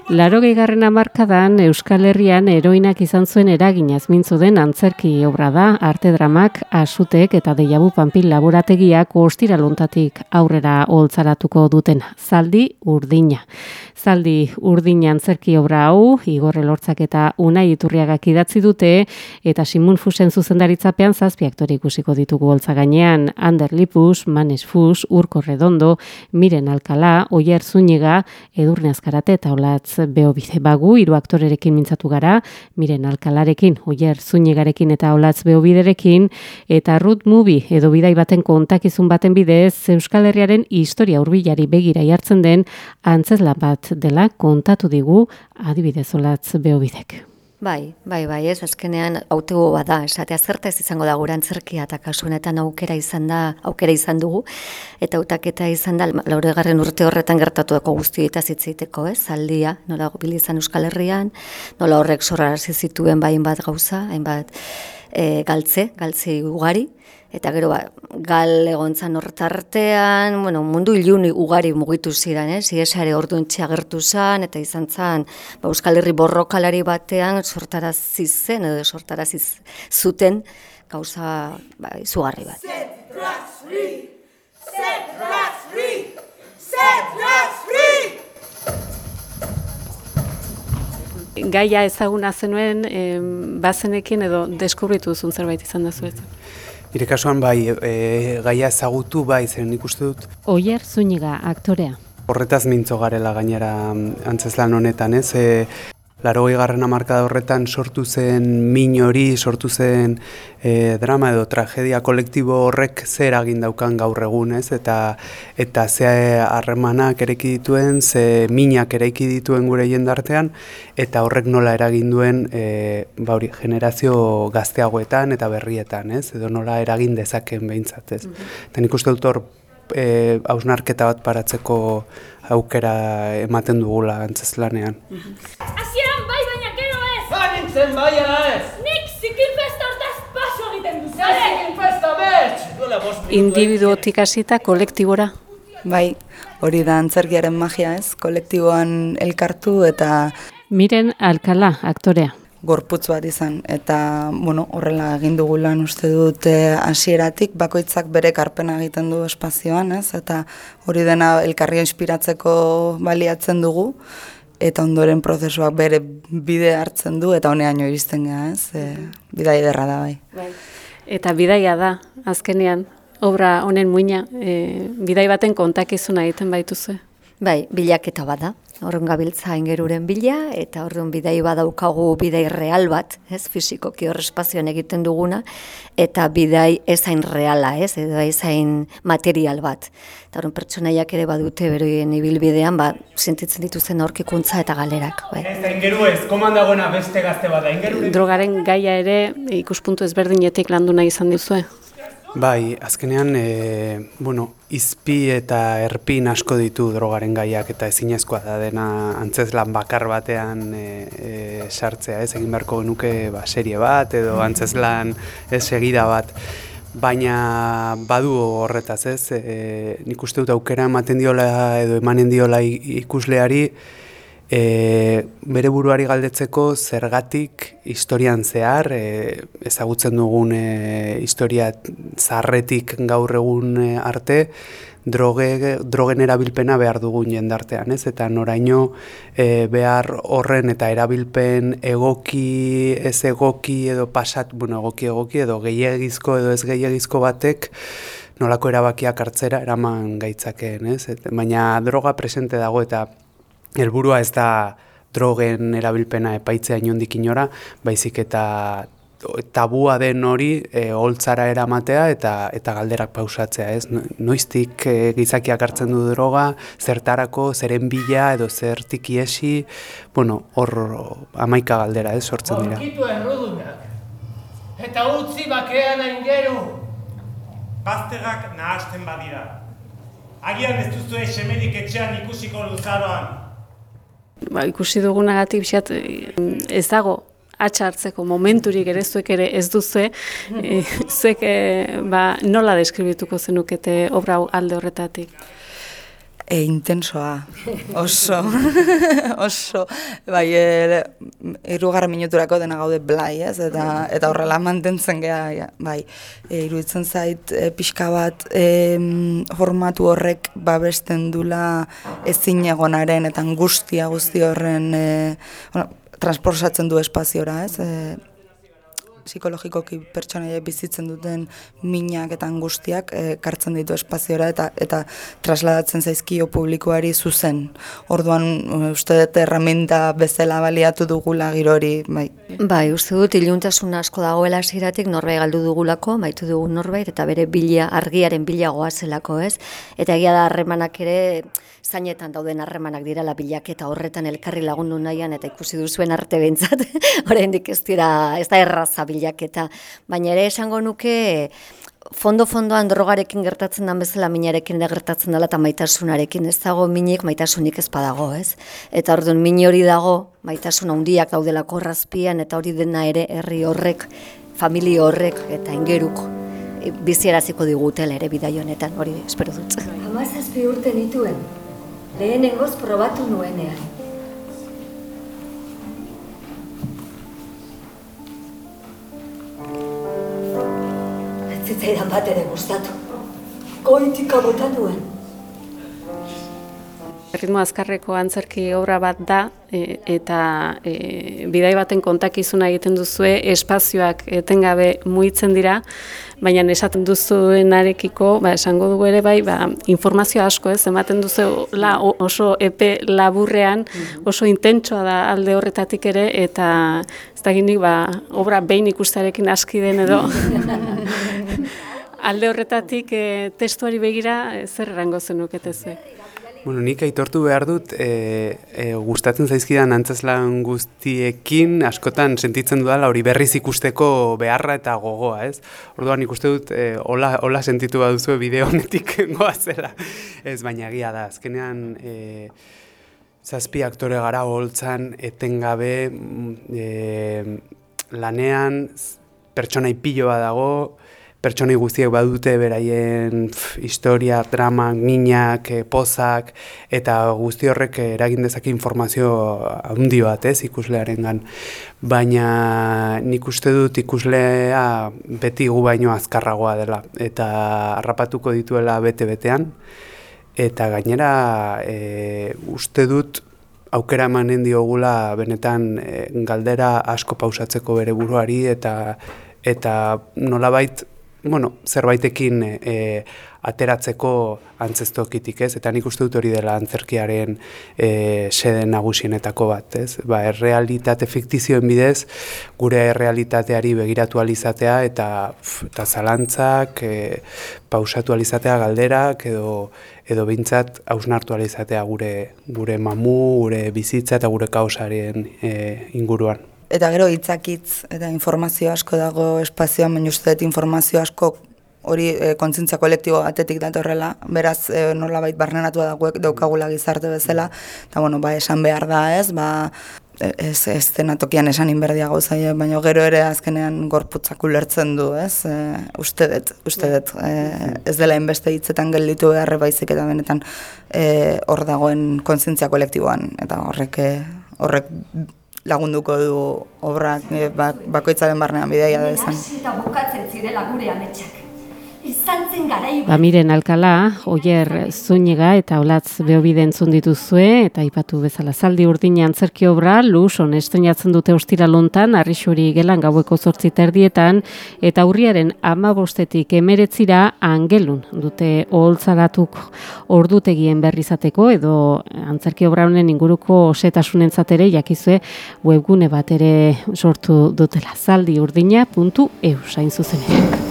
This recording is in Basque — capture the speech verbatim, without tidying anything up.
Laurogeigarren hamarkadan Euskal Herrian heroinak izan zuen eraginaz mintzu den antzerki obra da, arte dramak, asutek eta deiabu panpil laborategiak ostiraluntatik aurrera oholtzaratuko duten Zaldi Urdina. Zaldi Urdina antzerki obra hau, Igor Elortzak eta Unai Iturriagak idatzi dute, eta Simun Fusen zuzendaritzapean zazpi aktore ikusiko ditugu holtza gainean, Ander Lipus, Manes Fus, Urko Redondo, Miren Alcalá, Oier Zúñiga, Edurne Azkarate eta Olatz Beobide. Bagu, hiru aktorerekin mintzatu gara, Miren Alcalarekin, Oier Zúñigarekin eta Olatz Beobiderekin, eta Ruth Movie edo bidai baten kontakizun baten bidez, Euskal Herriaren historia hurbilari begira jartzen den antzezlan bat dela kontatu digu adibidez Olatz Beobidek. Bai, bai, bai, ez, azkenean hautego bada, esatea zertaz izango da gure antzerkia eta kasu honetan aukera izan da, aukera izan dugu, eta hautaketa izan da, laurogeigarren urte horretan gertatuko guztietaz hitz egiteko, ez, Zaldia, nola bilizan Euskal Herrian, nola horrek sorrarazi zituen ba hainbat gauza, hainbat e, galtze, galtze ugari, eta gero ba, gal egontzan hortartean, bueno, mundu ilun ugari mugitu ziren, ez? Iesare orduntxe agertu zen, eta izan zen ba, Euskal Herri borrokalari batean sortarazi zen, edo sortarazi zuten gauza ba, izugarri bat. Set drugs free! Set drugs free! Set drugs free! Gaia ezaguna zenuen, eh, bazenekin edo deskubritu duzun zerbait izan da zuetzen. Nire kasuan bai, e, gaia ezagutu bai, zen nik uste dut. Oier Zúñiga, aktorea. Horretaz mintzo garela gainera antzezlan honetan, ez? E, Laurogeigarren hamarkada horretan sortu zen min hori, sortu zen e, drama edo tragedia kolektibo horrek zer eragin daukan gaur egun, ez? Eta, eta ze harremanak eraiki dituen, ze minak eraiki dituen gure jendartean, eta horrek nola eragin duen e, ba hori, generazio gazteagoetan eta berrietan, ez? Edo nola eragin dezaken behintzat, ez? Mm-hmm. Eta nik uste dut hor e, hausnarketa bat paratzeko aukera ematen dugula antzezlanean. Hasieran bai, baina gero ez! Ba nintzen bai ala ez! Nik zikinfesta hortaz paso egiten duzu! Ja zikinfesta bertx! Duela bost minutu Individuotik hasita kolektibora. Bai, hori da antzerkiaren magia, ez? Kolektiboan elkartu eta Miren Alcalá, aktorea. gorputz bat izan, eta bueno, horrela egin dugu lan uste dut hasieratik, bakoitzak bere karpena egiten du espazioan, ez? Eta hori dena elkarria inspiratzeko baliatzen dugu, eta ondoren prozesuak bere bide hartzen du, eta honeaino iristen gara, ez? E, bidai ederra da, bai. Bai. Eta bidaia da, azkenean, obra honen muina, e, bidai baten kontakizuna egiten baituzue. Bai, bilaketa bada. Horren gabiltza ingeruren bila, eta horren bidai badaukagu bidai real bat, ez, fizikoki hor espazioan egiten duguna, eta bidai ezain reala, ez, edo ezain material bat. Eta horren pertsonaiak ere badute beroien ibilbidean, ba, sentitzen dituzten aurkikuntza eta galerak. Bai. Ez da ingeru ez, koman dagoena beste gazte bada, ingeruren... Drogaren gaia ere ikuspuntu ezberdinetik landu nahi izan duzue. Bai, azkenean, e, bueno, izpi eta erpin asko ditu drogaren gaiak eta ezinezkoa da dena antzezlan bakar batean e, e, sartzea, ez egin beharko genuke ba, serie bat edo antzezlan ez segida bat. Baina badu horretaz, ez, e, nik uste dut aukera ematen diola edo emanen diola ikusleari, E, bere buruari galdetzeko zergatik historian zehar, e, ezagutzen dugun e, historia zaharretik gaur egun arte, droge, drogen erabilpena behar dugun jendartean, ez? Eta noraino e, behar horren eta erabilpen egoki, ez egoki edo pasat, bueno, egoki egoki edo gehiagizko edo ez gehiagizko batek, nolako erabakiak hartzera eraman gaitzakeen, ez? Et, baina droga presente dago eta helburua ez da drogen erabilpena epaitzea inondik inora, baizik eta tabua den hori e, holtzara eramatea eta eta galderak pausatzea, ez? Noiztik e, gizakiak hartzen du droga, zertarako, zeren bila edo zertik iesi, bueno, hor hamaika galdera, ez, sortzen dira. Borkitu errudunak, eta utzi bakean aingeru. Bazterrak nahasten badira. Agian ez duzu semerik etxean ikusiko luzaroan. Ba, ikusi dugunagatik pixat ez dago atxa hartzeko momenturik ere zuek ere ez duzue, e, zuek e, ba, nola deskribituko zenukete obra alde horretatik? E, intensoa, oso, oso, bai, e, irugarren minuturako dena gaude blai, ez, eta, eta horrela mantentzen geha, ja, bai, e, iruditzen zait e, pixka bat e, formatu horrek babesten dula ezin egonaren eta angustia guzti horren, e, bueno, transportatzen du espaziora, ez, e, psikologikoki pertsonaiek bizitzen duten minak eta angustiak ekartzen ditu espaziora eta eta trasladatzen zaizkio publikoari zuzen. Orduan uste dut erraminta bezala baliatu dugula girori, bai. Bai, uste dut iluntasun asko dagoela hasieratik norbait galdu dugulako, maitu dugu norbait eta bere bila argiaren bila goazelako, ez? Eta egia da harremanak ere zainetan dauden harremanak direla bilaketa horretan elkarri lagundu nahian eta ikusi duzuen arte behintzat, oraindik ez dira, ez da erraza bilaketa, baina ere esango nuke fondo-fondoan drogarekin gertatzen den bezala minarekin ere gertatzen dela eta maitasunarekin, ez dago minik maitasunik ez badago, ez? Eta orduan min hori dago, maitasun handiak daudelako errazpian eta hori dena ere herri horrek, familia horrek eta ingeruk bizieraziko digutela ere bidai honetan, hori espero dut. Hamazazpi urte nituen. Lehenengoz probatu nuenean. Ez zitzaidan bat ere gustatu. Goitika bota nuen. Ritmo azkarreko antzerki obra bat da, e, eta e, bidai baten kontakizuna egiten duzue, espazioak etengabe mugitzen dira, baina esaten duzuenarekiko, ba, esango dugu ere bai, ba, informazio asko ez, ematen duzu la, oso epe laburrean, oso intentsoa da alde horretatik ere, eta ez da ginik, ba, obra behin ikustearekin aski den edo. Alde horretatik e, testuari begira, e, zer erango zenuketeze? Bueno, nik aitortu behar dut, e, e, gustatzen zaizkidan antzezlan guztiekin, askotan sentitzen dudala hori berriz ikusteko beharra eta gogoa, ez? Orduan ikuste dut, e, hola, hola sentitu baduzue bideo honetik goazela. Ez, baina egia da, azkenean e, zazpi aktore gara holtzan etengabe e, lanean pertsonai piloa dago, pertsonei guztiek badute beraien pf, historia, drama, minak, e, pozak, eta guzti horrek eragin dezake informazio handi bat, ez, ikuslearengan. Baina nik uste dut ikuslea beti gu baino azkarragoa dela, eta harrapatuko dituela bete-betean, eta gainera e, uste dut aukera emanen diogula benetan e, galdera asko pausatzeko bere buruari, eta, eta nolabait, bueno, zerbaitekin e, ateratzeko antzestokitik, ez? Eta nik uste dut hori dela antzerkiaren e, sede nagusienetako bat, ez? Ba, errealitate fiktizioen bidez, gure errealitateari begiratu alizatea eta, pf, eta zalantzak, e, pausatu alizatea galderak, edo, edo bintzat hausnartu alizatea gure, gure mamu, gure bizitza eta gure kaosaren e, inguruan. Eta gero hitzakitz eta informazio asko dago espazioan, baina uste dut informazio asko hori e, kontzientzia kolektibo batetik datorrela, beraz e, nolabait barnenatua dagoek daukagula gizarte bezala, eta bueno, ba, esan behar da ez, ba, ez, ez dena tokian esan inberdia gauzaia, baina gero ere azkenean gorputzak ulertzen du, ez, e, uste dut, uste dut, e, ez dela inbeste hitzetan gelditu beharre baizik eta benetan e, hor dagoen kontzientzia kolektiboan, eta horrek, horrek lagunduko du obrak bakoitzaren barnean bidaia da esan. Eta bukatzen zirela gure ametsak. Izan zen garai Ba, miren Alkala, Oier Zúñiga eta Olatz Beobide entzun dituzue, eta aipatu bezala zaldi urdina antzerki obra, Luson estreinatzen dute ostiralontan, Arrixuri gelan gaueko zortzi terdietan, eta urriaren hamabostetik emeretzira Angelun dute oholtzaratuk ordutegien berri izateko, edo antzerki obra honen inguruko osetasunentzat ere jakizue webgune bat ere sortu dutela, zaldi urdina puntu e u, hain zuzenean.